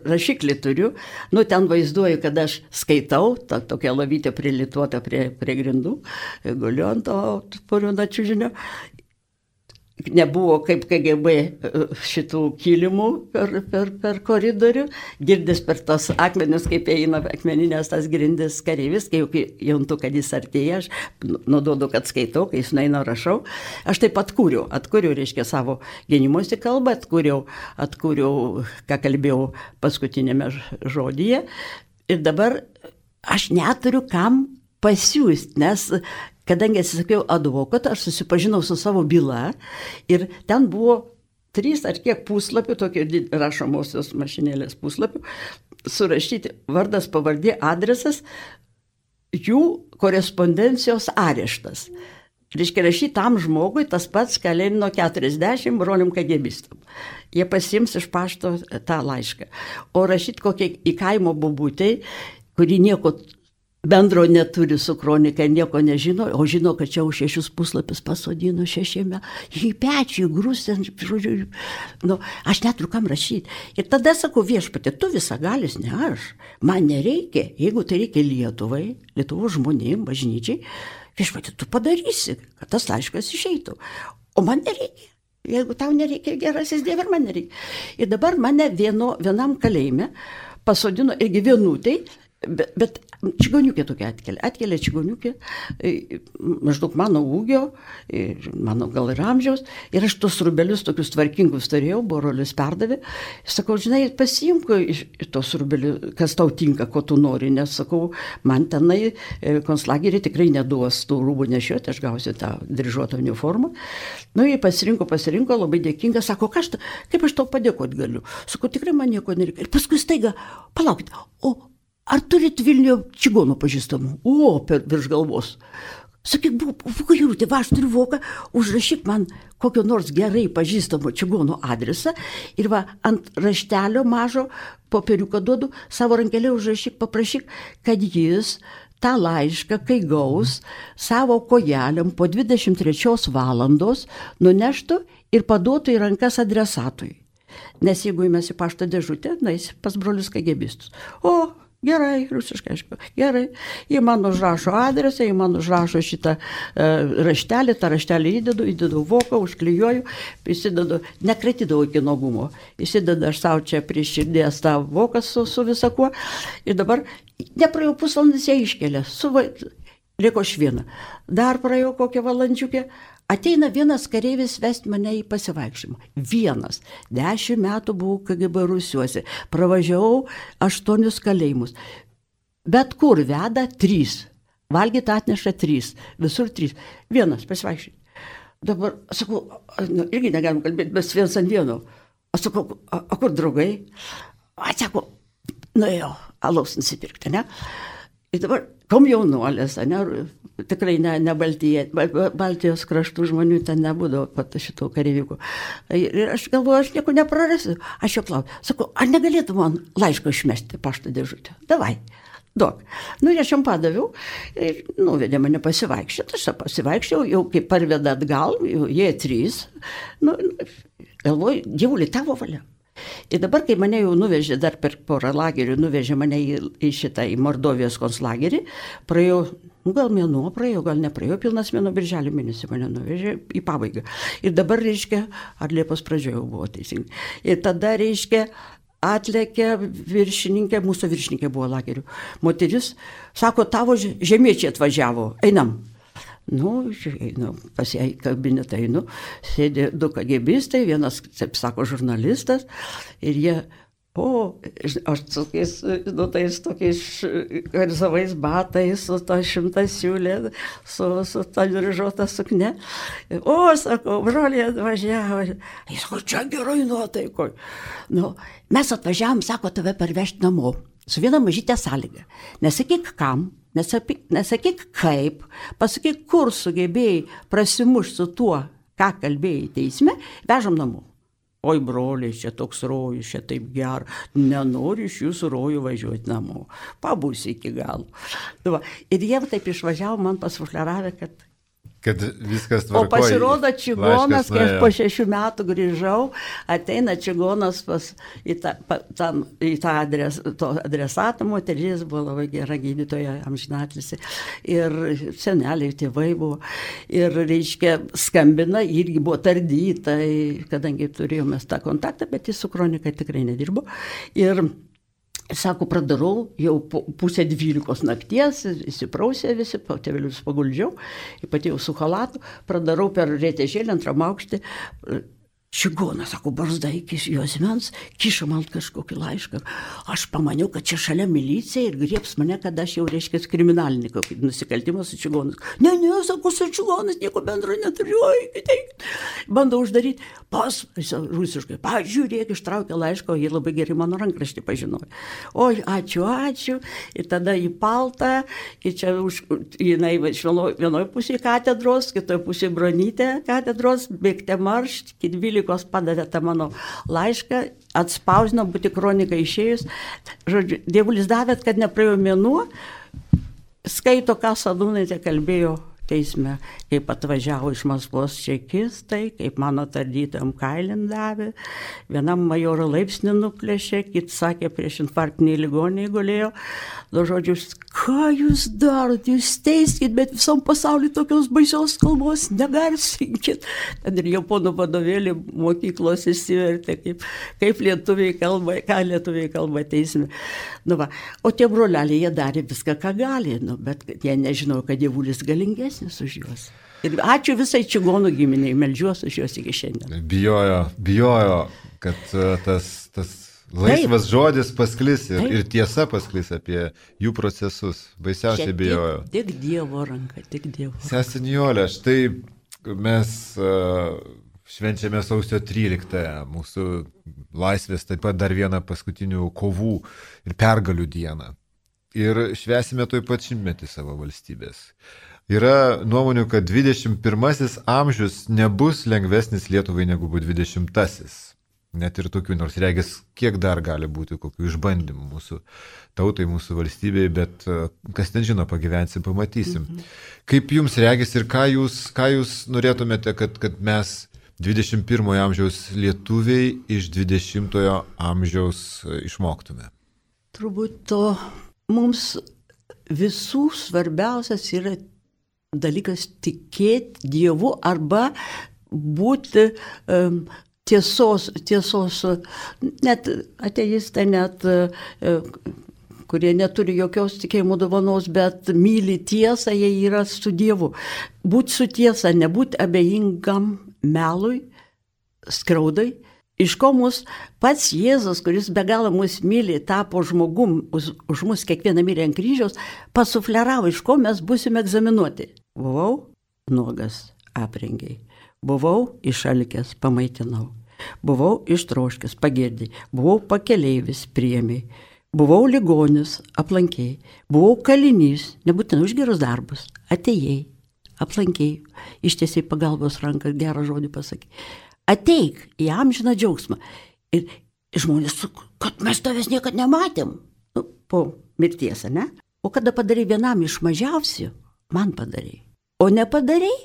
rašiklį turiu. Nu, ten vaizduoju, kad aš skaitau, ta tokia lovytė prilituota prie grindų, guliu ant to puriūno čiužinio. Nebuvo kaip KGB šitų kilimų per koridorių, girdis per tas akmenis, kaip eina akmeninės tas grindis kareivis, kai jauntu, kad jis artėja, aš nudodu, kad skaitau, kai jis nueina rašau. Aš taip atkūriau, reiškia, savo gynimosi kalbą, atkūriau, ką kalbėjau paskutinėme žodyje. Ir dabar aš neturiu kam pasiūsti, nes kadangi atsisakiau advokato, aš susipažinau su savo byla ir ten buvo 3 ar kiek puslapių, tokie rašomosios mašinėlės puslapių, surašyti vardas, pavardė, adresas, jų korespondencijos areštas. Reiškia, rašyti tam žmogui tas pats, ką Lenino 40 broliam KGBistam. Jie pasiims iš pašto tą laišką. O rašyti kokie į kaimo bobutei, kuri nieko bendro neturi su kronika, nieko nežino, o žino, kad čia už 6 puslapius pasodino 6 į pečių, į grūstę, žodžiu, nu, aš neturiu kam rašyti. Ir tada sakau, viešpatie, tu visagalis, ne aš, man nereikia, jeigu tai reikia Lietuvai, Lietuvos žmonėm, bažnyčiai, viešpatie, tu padarysi, kad tas laiškas išeitų, o man nereikia. Jeigu tau nereikia, gerasis Dieve, ir man nereikia. Ir dabar mane vienam kalėjime pasodino irgi vienutai, bet čigoniukė tokia atkelia čigoniukė, maždaug mano ūgio, mano gal ir amžiaus, ir aš tos rubelius tokius tvarkingus turėjau, brolius perdavė, sakau, žinai, pasiimk iš tos rubelių, kas tau tinka, ko tu nori, nes sakau, man tenai konclagerį tikrai neduos tų rūbų nešioti, aš gausiu tą dryžuotą uniformą. Nu, jie pasirinko, labai dėkinga, sako, kaip aš tau padėkoti galiu. Sakau, tikrai man nieko nereikia. Ir paskui staiga, palaukit, ar turit Vilniuje čigonų pažįstamų? Virš galvos. Sakyk, Vokajūtė, aš turiu voką, užrašyk man kokio nors gerai pažįstamo čigonų adresą ir ant raštelio mažo popieriuką duodu, savo rankelę užrašyk, paprašyk, kad jis tą laišką, kai gaus, savo kojelėm po 23 valandos nuneštų ir paduotų į rankas adresatui. Nes jeigu mes į pašto dėžutę, nais pas brolius KGBistus. Gerai, rusiškai, aišku, gerai. Jie man užrašo adresą, jie man užrašo šitą raštelį, tą raštelį įdedu voką, užklijuoju, įsidedu, nekratydavau iki nuogumo, įsidedu aš savo čia prie širdies tą voką su visakuo ir dabar nepraėjau pusvalandis, jie iškelia, liko aš vieną. Dar praėjau kokią valandžiukę. Ateina vienas kareivis vesti mane į pasivaikščiojimą. 10 metų buvau KGB Rusiuose. Pravažiavau 8 kalėjimus. Bet kur veda 3. Valgyti atneša 3. Visur 3. Vienas pasivaikščiojimą. Dabar, sakau, irgi negalim kalbėti, bet viens ant vieno. Aš sakau, o kur draugai? Sako, nuėjau alaus nusipirkti, ne? Ir dabar komjaunuolės, tikrai ne Baltijos kraštų žmonių ten nebūdavo šitų kareivikų. Ir aš galvoju, aš nieko neprarasiu. Aš jo klausiu, sakau, ar negalėtų man laišką išmesti pašto dėžutę? Davai, duok. Nu, aš jam padaviau ir nuvedė mane pasivaikščioti. Aš pasivaikščiau, jau kai parveda atgal, jie 3. Nu, galvoju, Dievuli, tavo valia. Ir dabar, kai mane jau nuvežė, dar per porą lagerių, nuvežė mane į Mordovijos konclagerį, praėjau, gal mėnuo praėjau, gal nepraėjau, pilnas mėnuo, birželio mėnesį mane nuvežė į pabaigą. Ir dabar, reiškia, ar Liepos pradžioje buvo teisingai. Ir tada, reiškia, atlėkė viršininkė, mūsų viršininkė buvo lagerių. Moteris, sako, tavo žemiečiai atvažiavo, einam. Nu, pas ją į kabinetą einu, sėdė 2 KGBistai, vienas, taip sako, žurnalistas, ir jie, aš tokiais karzavais batais, su ta 100 siūlė, su ta dryžuota sukne. Sako, broliai atvažiavo. Jis sako, čia geroj nuotaikoj. Nu, mes atvažiavom, sako, tave parvežti namo. Su viena mažytė sąlyga. Nesakyk kam, nesakyk kaip, pasakyk, kur sugebėjai prasimušti su tuo, ką kalbėjai teisme, vežam namo. oi broliai, čia toks rojus, čia taip gera, nenoriu iš jūsų rojų važiuoti namo, pabūsiu iki galo. Ir jie taip išvažiavo, man pasufleravę, kad viskas tvarkoja. O pasirodo čigonas, kai aš po 6 metų grįžau, ateina čigonas į tą adresatą, moteris buvo labai gera gydytoja, amžinatilsį, ir seneliai, tėvai buvo, ir, reiškia, skambina, irgi buvo tardyta, kadangi turėjome tą kontaktą, bet jis su kronika tikrai nedirbo. Ir sako, pradarau, jau 11:30 nakties, įsiprausė visi, tėvelius paguldžiau, ypatingai su chalatu, pradarau per rėtėžėlį antram aukštį. Čigonas, sako, barzda iki juosmens, kiša man kažkokį laišką. Aš pamaniau, kad čia šalia milicija ir griebs mane, kad aš jau, reiškia, kriminalinį kokį nusikaltimą su čigonas. Ne, sako, su čigonas nieko bendro neturiu, bandau uždaryti. Rusiškai, pažiūrėk, ištraukė laišką, jie labai gerai mano rankraštį pažinojo. Oi, ačiū. Ir tada į paltą, ir čia jinai vienoje pusėje katedros, kitoje pusėje bronytė katedros, bėgte marš, iki 12 padavė tą mano laišką, atspausino, būti kronika išėjus. Žodžiu, dievulis davėt, kad nepraėjo mėnuo, skaito, ką Sadūnaitė kalbėjo teisme, kaip atvažiavo iš Maskvos čekistai, kaip mano tardytojam kailin davė, vienam majoro laipsnį nuplėšė, kit sakė, prieš infarktiniai ligoniai gulėjo. Žodžiu, ką jūs darot, jūs teiskit, bet visam pasauliu tokios baisios kalbos negarsinkit. Tad ir japonų vadovėlį mokyklos įsivertė, kaip lietuviai kalba, ką lietuviai kalba teisme. O tie broleliai, jie darė viską, ką gali, bet jie nežinojo, kad dievulis galingesnis už juos. Ir ačiū visai čigonų giminiai, meldžiuosi už juos iki šiandien. Bijojo, kad tas laisvas žodis pasklis ir tiesa pasklis apie jų procesus. Baisiausiai bijojo. Tik Dievo ranka, tik Dievo. Sesė Nijolė, štai mes švenčiame sausio 13-ąją, mūsų laisvės, taip pat dar vieną paskutinių kovų ir pergalių dieną. Ir švęsime toj pat 100-metį savo valstybės. Yra nuomonių, kad 21 amžius nebus lengvesnis Lietuvai negu buvo 20-asis. Net ir tokių, nors regis, kiek dar gali būti kokių išbandymų mūsų tautai, mūsų valstybei, bet kas ten žino, pagyvensim, pamatysim. Kaip jums regis ir ką jūs norėtumėte, kad mes 21 amžiaus lietuviai iš 20 amžiaus išmoktume? Turbūt to mums visų svarbiausias yra dalykas tikėti Dievu arba būti tiesos, net ateistai, net kurie neturi jokios tikėjimo dovanos, bet myli tiesą, jie yra su Dievu. Būti su tiesa, nebūti abejingam melui, skriaudai. Iš ko mus pats Jėzus, kuris be galo mus myli, tapo žmogum, už mus kiekvieną mirė ant kryžiaus, pasufleravo, iš ko mes būsime egzaminuoti. Buvau nuogas, aprengiai. Buvau išalkęs, pamaitinau. Buvau ištroškęs, pagirdai. Buvau pakeleivis, priėmei. Buvau ligonis, aplankiai. Buvau kalinys, nebūtinai už gerus darbus. Atėjai, aplankiai, ištiesiai pagalbos ranką, gerą žodį pasakai. Ateik į amžiną džiaugsmą. Ir žmonės, kad mes tavęs niekad nematėm. Po mirties, ne? O kada padarai vienam iš mažiausių, man padarai. O nepadarai,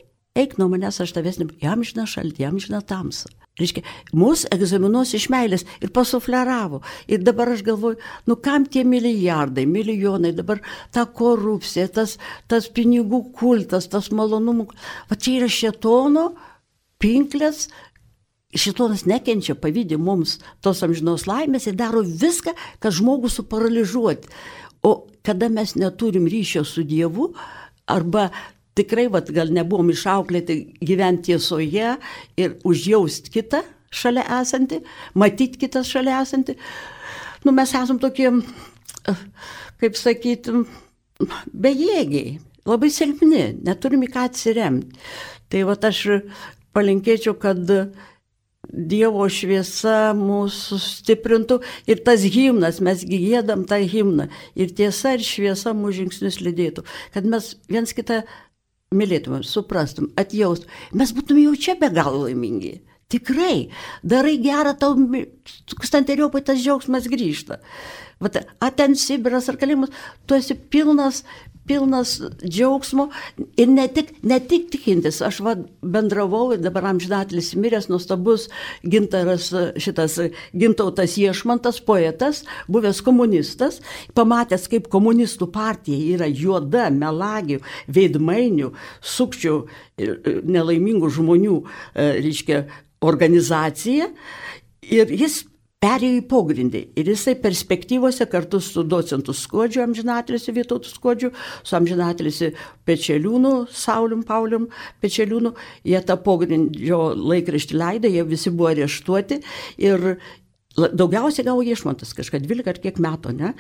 eik nuo manęs, aš tavęs nematėm. Į amžiną šaltį, į amžiną tamsą. Reiškia, mus egzaminuos iš meilės ir pasufleravo. Ir dabar aš galvoju, kam tie milijardai, milijonai, dabar ta korupcija, tas pinigų kultas, tas malonumų. Va čia yra šėtono pinklės. Šėtonas nekenčia, pavydė mums tos amžinos laimės ir daro viską, kad žmogų suparalyžuoti. O kada mes neturim ryšio su Dievu, arba tikrai, gal nebuvom išauklėti gyventi tiesoje ir užjaust kitą šalia esantį, matyti kitą šalia esantį, mes esam tokie, kaip sakyti, bejėgiai, labai silpni, neturim į ką atsiremti. Tai aš palinkėčiau, kad Dievo šviesa mūsų stiprintų ir tas himnas, mes giedam tą himną ir tiesa ir šviesa mūsų žingsnius lydėtų, kad mes viens kitą mylėtumėm, suprastum, atjaustum, mes būtume jau čia be galo laimingi. Tikrai, darai gerą, tau tūkstanteriopai tas džiaugsmas grįžta. Vat, ten Sibiras ar kalėjimas, tu esi pilnas džiaugsmo ir ne tik tikintis. Aš bendravau ir dabar amžinatelis miręs nuostabus Gintautas Iešmantas, poetas, buvęs komunistas, pamatęs, kaip komunistų partija yra juoda, melagių, veidmainių, sukčių, nelaimingų žmonių, organizacija, ir jis perėjo į pogrindį. Ir jisai perspektyvose kartu su docentu Skuodžiu, amžinatilisi Vytautu Skuodžiu, su amžinatilisi Pečeliūnu, Saulium Paulium Pečeliūnu, jie tą pogrindžio laikraštį leido, jie visi buvo areštuoti ir daugiausiai gavo Iešmantas, kažką 12 ar kiek metų, ne?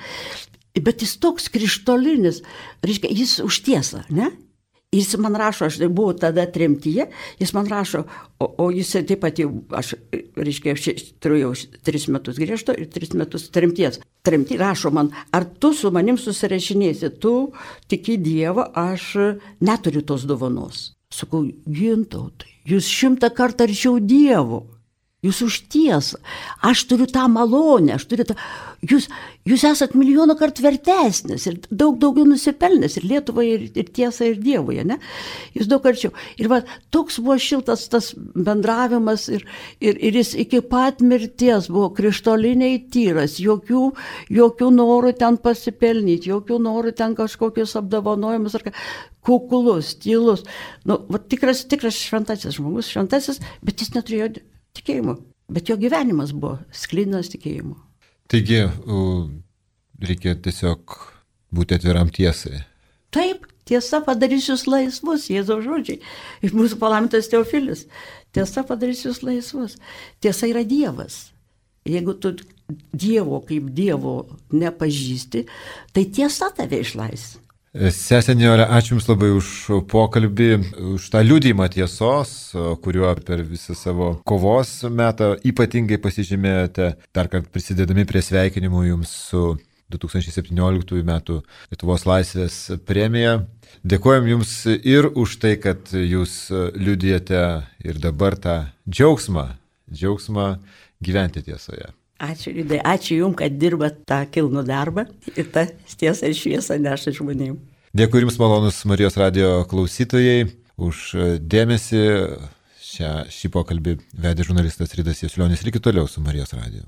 Bet jis toks krištolinis, jis už tiesą, ne? Jis man rašo, aš buvau tada tremtyje, jis man rašo, o jis taip pat jau, aš turėjau 3 metus griežto ir 3 metus tremties. Tremty rašo man, ar tu su manim susirašinėsi, tu tiki Dievą, aš neturiu tos dovanos. Sakau, Gintautai, jūs 100 kartų arčiau Dievo. Jūs už tiesą. Aš turiu tą malonę, jūs esat milijoną kartų vertesnis ir daug daugiau nusipelnęs ir Lietuvai, ir tiesai, ir Dievui, ne? Jūs daug arčiau. Ir toks buvo šiltas tas bendravimas ir jis iki pat mirties buvo krištoliniai tyras, jokių norų ten pasipelnyti, jokių norų ten kažkokius apdovanojimus ar kukulus, tylus. Tikras šventasis žmogus, bet jis neturėjo tikėjimo, bet jo gyvenimas buvo sklidinas tikėjimo. Taigi, reikia tiesiog būti atviram tiesai. Taip, tiesa padarys jūs laisvus, Jėzaus žodžiai. Ir mūsų palaimintas Teofilis. Tiesa padarys jūs laisvus. Tiesa yra Dievas. Jeigu tu Dievo kaip Dievo nepažįsti, tai tiesa tave išlaisvina. Sesė Nijolė, ačiū Jums labai už pokalbį, už tą liudijimą tiesos, kuriuo per visą savo kovos metą ypatingai pasižymėjote, dar kartą prisidėdami prie sveikinimų Jums su 2017 metų Lietuvos laisvės premija. Dėkojom Jums ir už tai, kad Jūs liudijate ir dabar tą džiaugsmą gyventi tiesoje. Ačiū, Liudai, ačiū Jums, kad dirbat tą kilnų darbą ir tą tiesą ir šviesą neša žmonėms. Dėkui Jums, malonus Marijos radijo klausytojai, už dėmesį. Šį pokalbį vedė žurnalistas Ridas Jasulionis. Likit toliau su Marijos radiju.